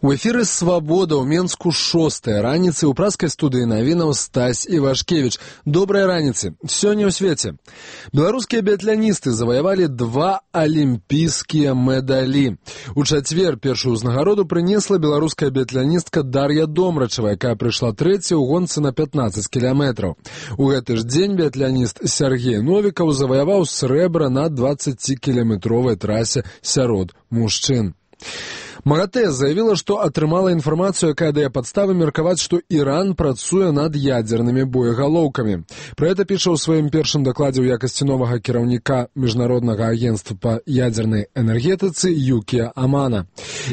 У эфіры «Свабода» ў Менску 6-я раніцы. У праскай студыі навінаў Стась Івашкевіч. Добрай раніцы. Сёння ў свеце. Беларускія біятланісты заваявалі 2 алімпійскія медалі. У чацвер першую ўзнагароду прынесла беларуская біятланістка Дар'я Домрачева, якая прыйшла трэцяй у гонцы на 15 кіламетраў. У гэты ж дзень біятланіст Сергей Новікаў заваяваў срэбра на 20-кіламетровай трасе сярод мужчын. МАГАТЭ заявіла, што атрымала інфармацыю, якая дае падставы меркаваць, што Іран працуе над ядзернымі боегалоўкамі. Пра гэта піша ў сваім першым дакладзе ў якасці новага кіраўніка Міжнароднага агенцтва па ядзернай энергетыцы Юкія Амана.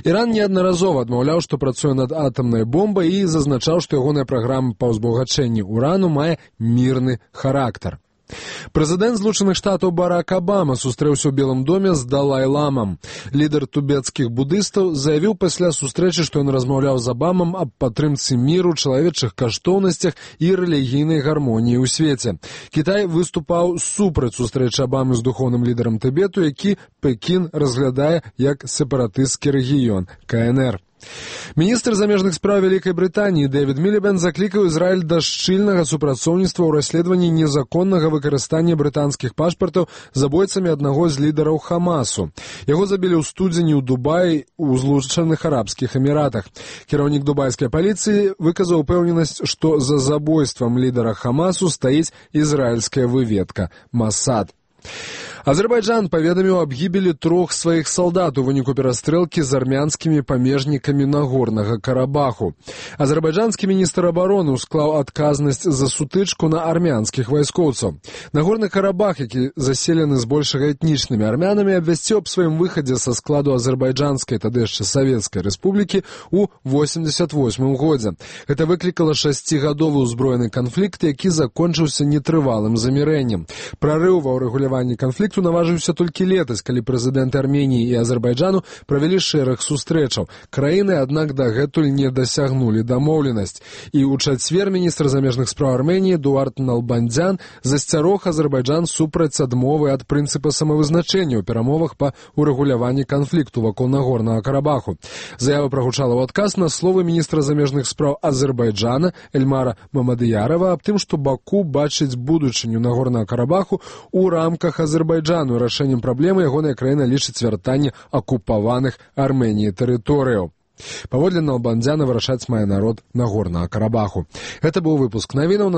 Іран неаднаразова адмаўляў, што працуе над атамнай бомбай і зазначаў, што ягоная праграма па ўзбагачэнні урану мае мірны характар. Прэзідэнт Злучаных Штатаў Барак Абама сустрэўся ў Белым доме з Далай-ламам. Лідар тыбецкіх будыстаў заявіў пасля сустрэчы, што ён размаўляў з Абамам аб падтрымцы міру, чалавечых каштоўнасцях і рэлігійнай гармоніі ў свеце. Кітай выступаў супраць сустрэчы Абамы з духоўным лідарам Тыбету, які Пекін разглядае як сепаратысцкі рэгіён КНР. Міністр замежных спраў Вялікай Брытаніі Дэвід Мілібэнд заклікаў Ізраіль да шчыльнага супрацоўніцтва ў расследаванні незаконнага выкарыстання брытанскіх пашпартаў забойцамі аднаго з лідараў Хамасу. Яго забілі ў студзені ў Дубаі у Злучаных Арабскіх Эміратах. Кіраўнік дубайскай паліцыі выказаў упэўненасць, што за забойствам лідара Хамасу стаіць ізраільская выведка Масад. Азербайджан паведаміў аб гібелі 3 сваіх салдат у выніку перастрэлкі з армянскімі памежнікамі Нагорнага Карабаху. Азербайджанскі міністр абароны усклаў адказнасць за сутычку на армянскіх вайскоўцаў. Нагорны Карабах, які заселены збольшага этнічнымі армянамі, абвясціў аб сваім выхадзе са складу азербайджанскай, тады яшчэ савецкай рэспублікі ў 88 годзе. Гэта выклікала 6-гадовы ўзброены канфлікт, які закончыўся нетрывалым замірэннем. Прарыў ва ўрэгуляванні канфлікту наважыўся толькі летась, калі прэзідэнты Арменіі і Азербайджану правялі шэраг сустрэчаў. Краіны, аднак, дагэтуль не дасягнулі дамоўленасць. І ў чацвер міністр замежных спраў Арменіі Эдуард Налбандзян засцярог Азербайджан супраць адмовы ад прынцыпа самавызначэння ў перамовах па ўрэгуляванні канфлікту вакол Нагорнага Карабаху. Заява прагучала ў адказ на словы міністра замежных спраў Азербайджана Эльмара Мамадыярова аб тым, што Баку бачыць будучыню Нагорнага Карабаху ў рамках Азербайджану. Рашэннем праблемы ягоная краіна лічыць вяртанне акупаваных Арменіі тэрыторыяў. Паводле Налбандзяна вырашаць мае народ Нагорнага Карабаху. Гэта быў выпуск навінаў.